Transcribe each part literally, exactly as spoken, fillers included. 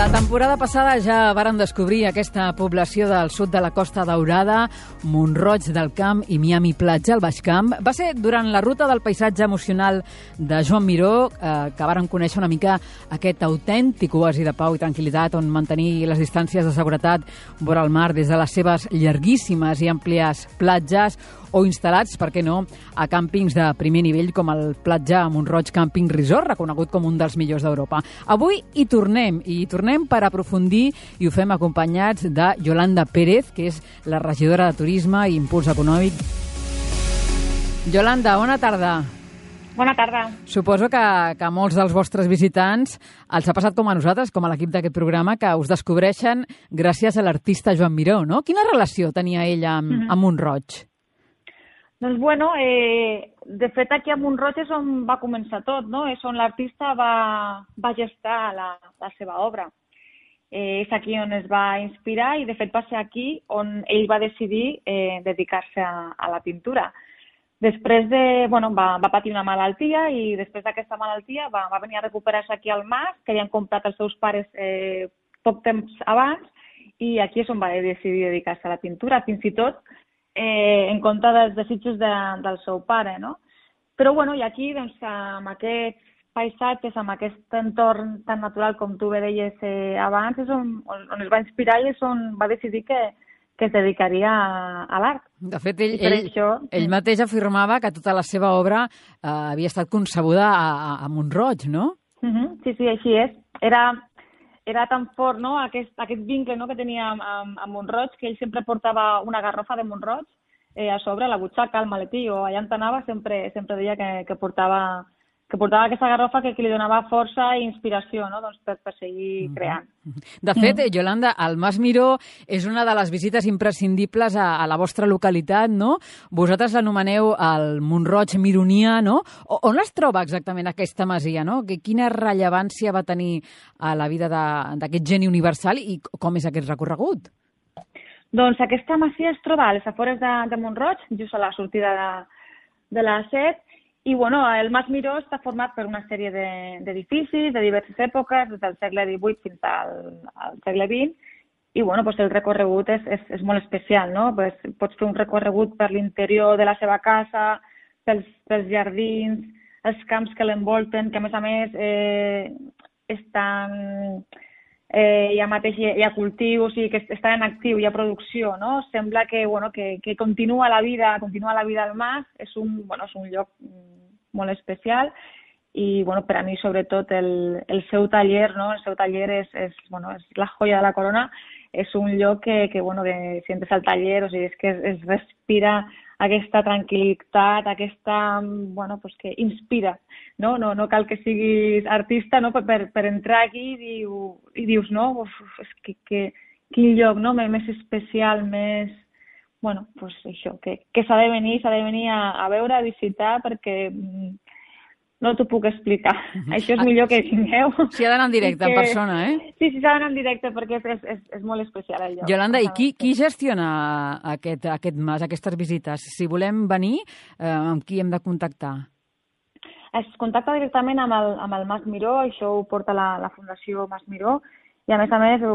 La temporada passada ja varen descobrir aquesta població del sud de la Costa Daurada, Mont-roig del Camp i Miami Platja, al Baix Camp. Va ser durant la ruta del paisatge emocional de Joan Miró eh, que varen conèixer una mica aquest autèntic oasi de pau i tranquil·litat on mantenir les distàncies de seguretat vora el mar des de les seves llarguíssimes i àmplies platges o instal·lats, per què no, a càmpings de primer nivell com el Platja Mont-roig Camping Resort, reconegut com un dels millors d'Europa. Avui hi tornem, i hi tornem per aprofundir i ho fem acompanyats de Yolanda Pérez, que és la regidora de Turisme i Impuls Econòmic. Yolanda, bona tarda. Bona tarda. Suposo que, que a molts dels vostres visitants els ha passat com a nosaltres, com a l'equip d'aquest programa, que us descobreixen gràcies a l'artista Joan Miró, no? Quina relació tenia ella amb, mm-hmm. amb Mont-roig? Doncs bueno, eh, de fet aquí a Mont-roig és on va començar tot, no? És on l'artista va, va gestar la, la seva obra. Eh, és aquí on es va inspirar i de fet va ser aquí on ell va decidir eh, dedicar-se a, a la pintura. Després de, bueno, va, va patir una malaltia i després d'aquesta malaltia va, va venir a recuperar-se aquí al mas, que havien comprat els seus pares eh, poc temps abans, i aquí és on va decidir dedicar-se a la pintura, fins i tot eh, en compte dels desitjos de, del seu pare, no? Però, bueno, i aquí, doncs, amb aquests paisatges, amb aquest entorn tan natural com tu bé deies eh, abans, és on, on, on es va inspirar i és on va decidir que, que es dedicaria a, a l'art. De fet, ell, ell, això... ell mateix afirmava que tota la seva obra eh, havia estat concebuda a, a, a Mont-roig, no? Uh-huh. Sí, sí, així és. Era, era tan fort, no?, aquest, aquest vincle, no?, que tenia amb, amb, amb Mont-roig, que ell sempre portava una garrofa de Mont-roig eh, a sobre, a la butxaca, al maletí, o allà on anava sempre, sempre deia que, que portava... que portava aquesta garrofa que, que li donava força i inspiració, no?, doncs per, per seguir creant. De fet, mm. Yolanda, el Mas Miró és una de les visites imprescindibles a, a la vostra localitat, no? Vosaltres l'anomeneu el Mont-roig Mironià, no? O, on es troba exactament aquesta masia, no? Quina rellevància va tenir a la vida d'aquest geni universal i com és aquest recorregut? Doncs aquesta masia es troba a les afores de, de Mont-roig, just a la sortida de, de la A set, i bueno, el Mas Miró està format per una sèrie d'edificis de, de diverses èpoques, des del segle divuit fins al, al segle vint, i bueno, pues el recorregut és, és, és molt especial, no? Pues pots fer un recorregut per l'interior de la seva casa, pels, pels jardins, els camps que l'envolten, que a més a més eh, estan... Eh, ja mateix hi ha cultiu, o sigui que està en actiu, hi ha producció, no? Sembla que, bueno, que, que continua la vida, continua la vida al mas, és un, bueno, és un lloc molt especial i, bueno, per a mi, sobretot, el, el seu taller, no? El seu taller és, és, bueno, és la joia de la corona, és un lloc que, que bueno, que si entres al taller, o sigui, és que es, es respira aquesta tranquil·litat, aquesta, bueno, pues que inspira, no? No, no cal que siguis artista, no? Per, per entrar aquí i, diu, i dius, no? Uf, és que, que, quin lloc, no? Més especial, més... Bueno, pues això, que, que s'ha de venir, s'ha de venir a, a veure, a visitar, perquè no t'ho puc explicar. Mm-hmm. Això és millor que vingueu. S'hi ha d'anar en directe, que... en persona, eh? Sí, sí, s'ha d'anar en directe, perquè és, és, és, és molt especial el lloc. Yolanda, i qui, qui gestiona aquest, aquest mas, aquestes visites? Si volem venir, eh, amb qui hem de contactar? Es contacta directament amb el, amb el Mas Miró, això ho porta la, la Fundació Mas Miró, i a més a més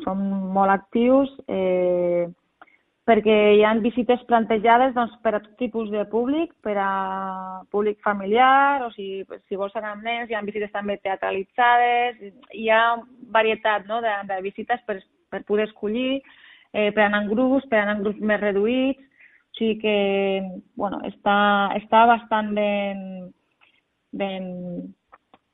som molt actius, eh, perquè hi ha visites plantejades doncs, per a tot tipus de públic, per a públic familiar, o si, si vols anar amb nens, hi ha visites també teatralitzades, hi ha varietat, no?, de, de visites per, per poder escollir, eh, per anar en grups, per anar en grups més reduïts, o sigui que, bueno, està, està bastant ben, ben,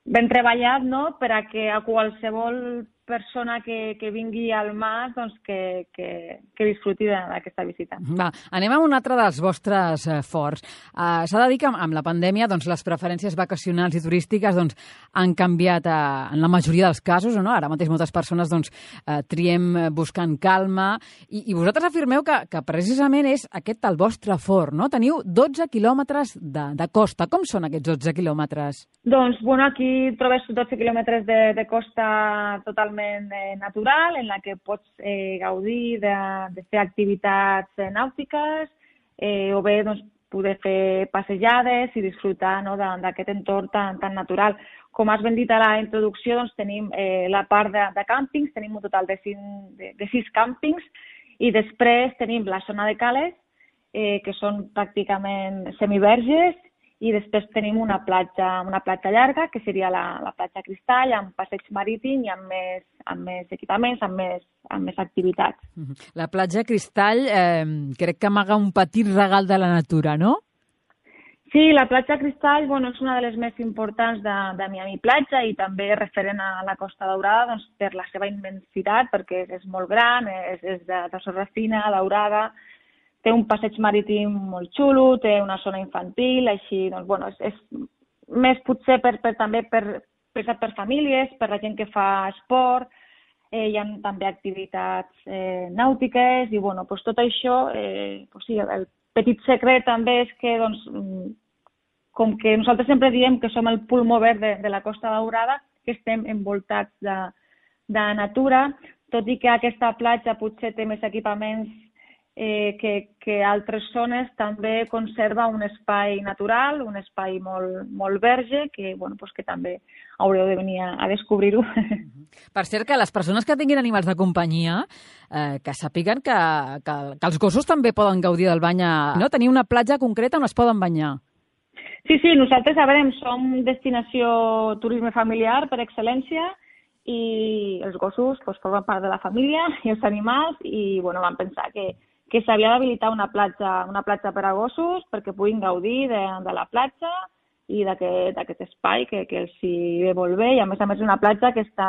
ben treballat, no?, per a que a qualsevol persona que, que vingui al mas doncs que, que, que disfruti d'aquesta visita. Va, anem a un altre dels vostres eh, forts. Uh, S'ha de dir que amb, amb la pandèmia doncs, les preferències vacacionals i turístiques doncs, han canviat uh, en la majoria dels casos, no? Ara mateix moltes persones doncs, uh, triem buscant calma i, i vosaltres afirmeu que, que precisament és aquest el vostre fort, no? Teniu dotze quilòmetres de, de costa. Com són aquests dotze quilòmetres? Doncs, bueno, aquí trobes dotze quilòmetres de, de costa totalment natural, en la que pots eh, gaudir de, de fer activitats nàutiques, eh, o bé doncs, poder fer passejades i disfrutar, no, d'aquest entorn tan, tan natural. Com has ben dit a la introducció, doncs, tenim eh, la part de, de càmpings, tenim un total de, cinc, de, de sis càmpings, i després tenim la zona de cales, eh, que són pràcticament semiverges, i després tenim una platja, una platja llarga, que seria la, la platja Cristall, amb passeig marítim i amb més, amb més equipaments, amb més, amb més activitats. La platja Cristall eh, crec que amaga un petit regal de la natura, no? Sí, la platja Cristall, bueno, és una de les més importants de, de Miami Platja i també referent a la Costa Daurada, doncs, per la seva immensitat, perquè és, és molt gran, és, és de, de sorra fina, daurada, té un passeig marítim molt xulo, té una zona infantil, així, doncs, bueno, és, és més potser per, per, també per, per, per famílies, per la gent que fa esport, eh, hi ha també activitats eh, nàutiques, i bueno, doncs tot això, eh, doncs sí, el petit secret també és que, doncs, com que nosaltres sempre diem que som el pulmó verd de, de la Costa Daurada, que estem envoltats de, de natura, tot i que aquesta platja potser té més equipaments Eh, que, que altres zones, també conserva un espai natural, un espai molt, molt verge, que, bueno, pues que també haureu de venir a, a descobrir-ho. Per cert, que les persones que tinguin animals de companyia, eh, que sàpiguen que, que, que els gossos també poden gaudir del bany, a, no? Tenir una platja concreta on es poden banyar. Sí, sí, nosaltres, a veure, som destinació turisme familiar per excel·lència, i els gossos pues, formen part de la família i els animals, i bueno, vam pensar que que s'havia d'habilitar una platja, una platja per a gossos perquè puguin gaudir de, de la platja i d'aquest espai que, que els hi ve molt bé, i a més a més és una platja que està,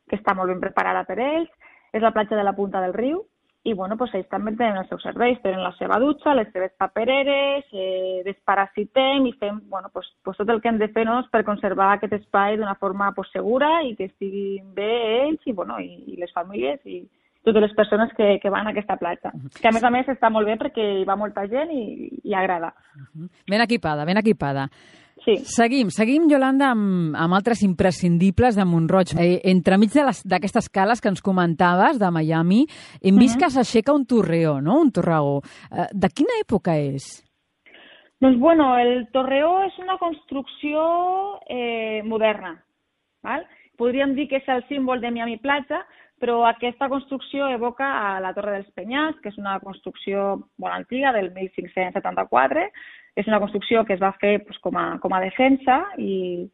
que està molt ben preparada per ells. És la platja de la Punta del Riu, i bueno, pues ells també tenen els seus serveis, tenen la seva dutxa, les seves papereres, eh, desparasitem i fem bueno, pues, pues tot el que hem de fer, no?, per conservar aquest espai d'una forma pues, segura i que estiguin bé ells i, bueno, i, i les famílies i totes les persones que, que van a aquesta platja. Que a més a més està molt bé perquè hi va molta gent i, i agrada. Ben equipada, ben equipada. Sí. Seguim, seguim, Yolanda, amb, amb altres imprescindibles de Mont-roig. Eh, entremig d'aquestes cales que ens comentaves, de Miami, hem vist uh-huh. que s'aixeca un torreó, no?, un torreó. Eh, de quina època és? Doncs, bueno, el torreó és una construcció eh, moderna, val? Podríem dir que és el símbol de Miami Platja, però aquesta construcció evoca a la Torre dels Penyals, que és una construcció molt antiga, del mil cinc-cents setanta-quatre. És una construcció que es va fer pues, com, a, com a defensa i,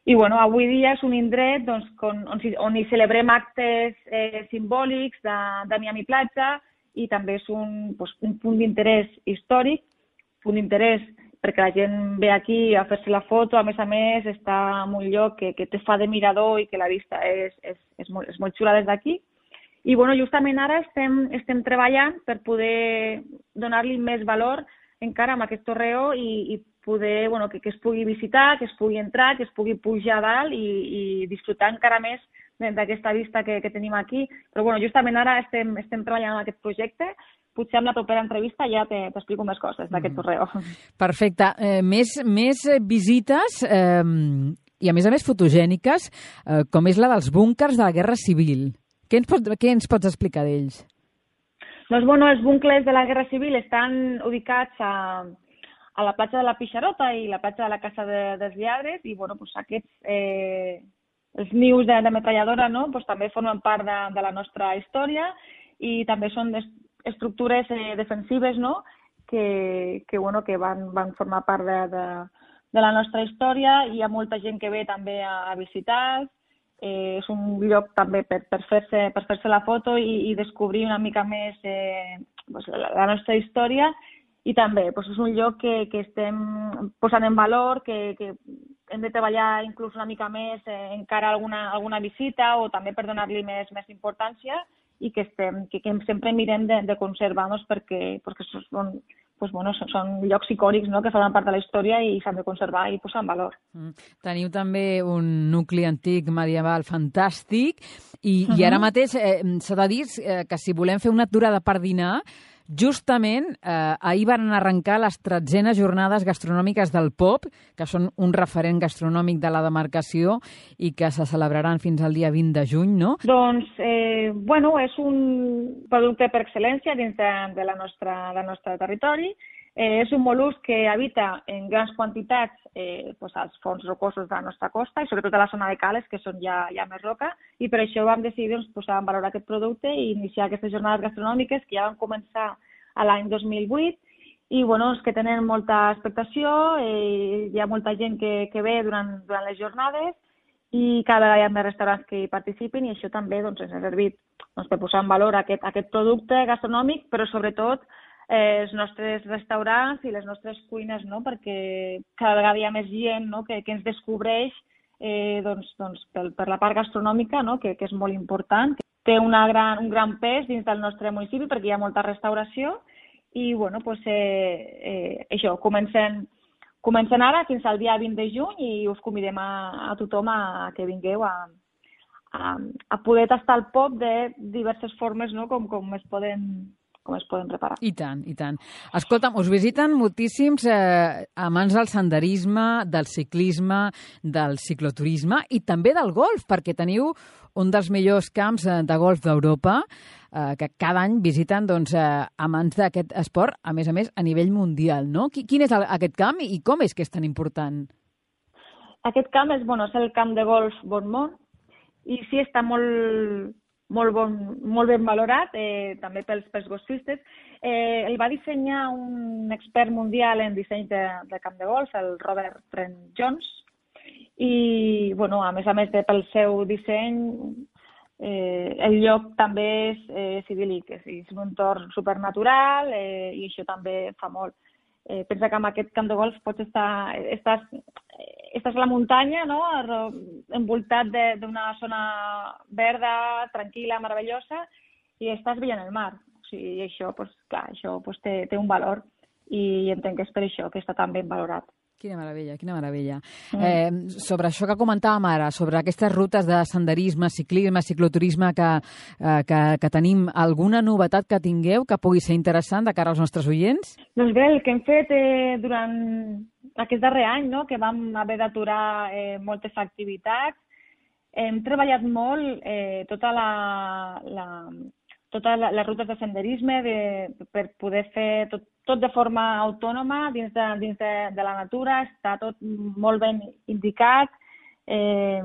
i bueno, avui dia és un indret doncs, on, on, on hi celebrem actes eh, simbòlics de, de Miami Platja, i també és un, pues, un punt d'interès històric, punt d'interès perquè la gent ve aquí a fer-se la foto, a més a més està en un lloc que, que te fa de mirador i que la vista és, és, és, molt, és molt xula des d'aquí. I bueno, justament ara estem, estem treballant per poder donar-li més valor encara amb aquest torreó i, i poder bueno, que, que es pugui visitar, que es pugui entrar, que es pugui pujar a dalt i, i disfrutar encara més d'aquesta vista que, que tenim aquí. Però bueno, justament ara estem, estem treballant en aquest projecte. Potser amb la propera entrevista ja t'explico més coses d'aquest torreó. Perfecte. Eh, més, més visites eh, i, a més a més, fotogèniques, eh, com és la dels búnkers de la Guerra Civil. Què ens pots, què ens pots explicar d'ells? Doncs, bueno, els búnkers de la Guerra Civil estan ubicats a, a la platja de la Pixarota i la platja de la Casa de, dels Lladres, i, bueno, doncs aquests, eh, els nius de, de metralladora, no?, doncs també formen part de, de la nostra història, i també són estructures eh, defensives, no?, que, que, bueno, que van, van formar part de, de, de la nostra història. Hi ha molta gent que ve també a, a visitar, eh, és un lloc també per, per fer-se per fer-se la foto i, i descobrir una mica més eh, pues, la, la nostra història, i també pues, és un lloc que, que estem posant en valor, que, que hem de treballar inclús una mica més eh, encara alguna, alguna visita, o també per donar-li més, més importància, i que, estem, que, que sempre mirem de, de conservar-nos perquè, perquè són, pues, bueno, són, són llocs icònics, no?, que formen part de la història i s'han de conservar i posar en valor. Mm. Teniu també un nucli antic medieval fantàstic i, uh-huh. i ara mateix eh, s'ha de dir eh, que si volem fer una aturada per dinar, justament eh, ahir van arrencar les tretzenes jornades gastronòmiques del Pop, que són un referent gastronòmic de la demarcació i que se celebraran fins al dia vint de juny, no? Doncs, eh, bueno, és un producte per excel·lència dins de, de la nostra, del nostre territori. Eh, és un mol·lusc que habita en grans quantitats eh, pues als fons rocosos de la nostra costa i sobretot a la zona de cales, que són ja, ja més roca, i per això vam decidir doncs, posar en valor aquest producte i iniciar aquestes jornades gastronòmiques que ja van començar a l'any dos mil vuit i bueno, és que tenen molta expectació, eh, hi ha molta gent que, que ve durant, durant les jornades i cada vegada hi ha més restaurants que hi participin i això també doncs, ens ha servit doncs, per posar en valor aquest, aquest producte gastronòmic, però sobretot eh, els nostres restaurants i les nostres cuines, no? Perquè cada vegada hi ha més gent, no? que, que ens descobreix eh, doncs, doncs, per, per la part gastronòmica, no? que, que és molt important, que té una gran, un gran pes dins del nostre municipi perquè hi ha molta restauració i bueno, doncs, eh, eh, això, comencem, comencem ara fins al dia vint de juny i us convidem a, a tothom a, a que vingueu a, a, a poder tastar el pop de diverses formes, no? com, com es poden com es poden preparar. I tant, i tant. Escolta'm, us visiten moltíssims eh, amants del senderisme, del ciclisme, del cicloturisme i també del golf, perquè teniu un dels millors camps de golf d'Europa eh, que cada any visiten doncs, eh, amants d'aquest esport, a més a més, a nivell mundial, no? Quin és el, aquest camp i com és que és tan important? Aquest camp és, bueno, és el camp de golf Bonmont i sí està molt... Molt, bon, molt ben valorat, eh, també pels, pels golfistes. Eh, el va dissenyar un expert mundial en disseny de, de camp de golf, el Robert Trent Jones, i bueno, a més a més de pel seu disseny, eh, el lloc també és, eh, és idíl·lic, és, és un entorn supernatural eh, i això també fa molt. Eh, pensa que amb aquest camp de golf pots estar, estàs, estàs a la muntanya, no? Envoltat d'una zona verda, tranquil·la, meravellosa, i estàs veient el mar. O sigui, això, pues, clar, això pues, té, té un valor i entenc que és per això que està tan ben valorat. Quina meravella, quina meravella. Mm. Eh, sobre això que comentàvem ara, sobre aquestes rutes de senderisme, ciclisme, cicloturisme que, eh, que, que tenim, alguna novetat que tingueu que pugui ser interessant de cara als nostres oients? Doncs bé, el que hem fet eh, durant aquest darrer any, no?, que vam haver d'aturar eh, moltes activitats, hem treballat molt eh, tota la... la totes les rutes de senderisme de, per poder fer tot, tot de forma autònoma dins de, dins de, de la natura, està tot molt ben indicat eh,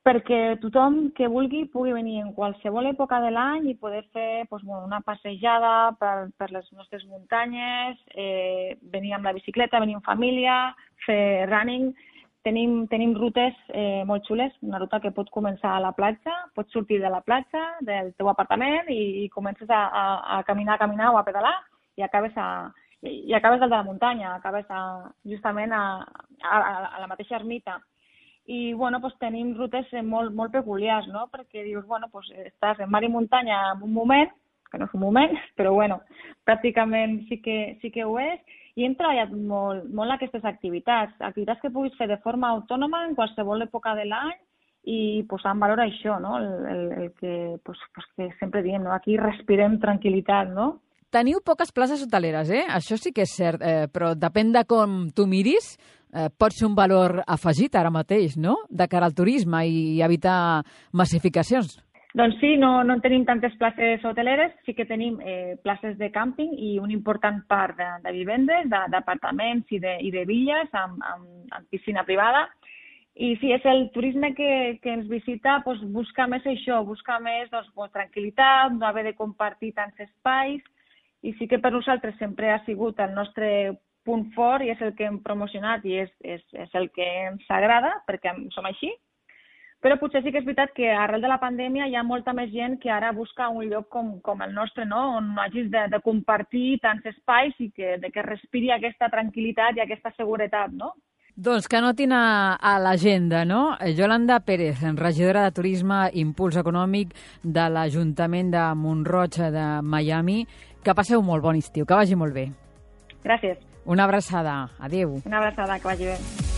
perquè tothom que vulgui pugui venir en qualsevol època de l'any i poder fer doncs, bueno, una passejada per, per les nostres muntanyes, eh, venir amb la bicicleta, venir en família, fer running. Tenim, tenim rutes eh, molt xules, una ruta que pot començar a la platja, pots sortir de la platja, del teu apartament i, i comences a, a, a caminar, a caminar o a pedalar i acabes, a, i acabes al de la muntanya, acabes a, justament a, a, a la mateixa ermita. I bueno, pues, tenim rutes molt, molt peculiars, no? Perquè dius, bueno, pues, estàs en mar i muntanya en un moment, que no és un moment, però bueno, pràcticament sí que, sí que ho és, i hem treballat molt, molt aquestes activitats, activitats que puguis fer de forma autònoma en qualsevol època de l'any i posar en valor això, no? el, el, el que, pues, pues, que sempre diem, no? Aquí respirem tranquil·litat, no? Teniu poques places hoteleres, eh? Això sí que és cert, eh, però depèn de com tu miris, eh, pot ser un valor afegit ara mateix, no?, de cara al turisme i evitar massificacions. Doncs sí, no, no tenim tantes places hoteleres, sí que tenim eh, places de càmping i una important part de, de vivendes, d'apartaments i, de, i de villes amb, amb, amb piscina privada. I sí, és el turisme que, que ens visita, doncs, busca més això, busca més doncs, doncs, tranquil·litat, no haver de compartir tants espais. I sí que per nosaltres sempre ha sigut el nostre punt fort i és el que hem promocionat i és, és, és el que ens agrada perquè som així. Però potser sí que és veritat que arrel de la pandèmia hi ha molta més gent que ara busca un lloc com, com el nostre, no? On no hagis de, de compartir tants espais i que, de que respiri aquesta tranquil·litat i aquesta seguretat, no? Doncs que anotin a, a l'agenda, no? Yolanda Pérez, regidora de Turisme i Impuls Econòmic de l'Ajuntament de Mont-roig de Miami. Que passeu molt bon estiu, que vagi molt bé. Gràcies. Una abraçada. Adéu. Una abraçada, que vagi bé.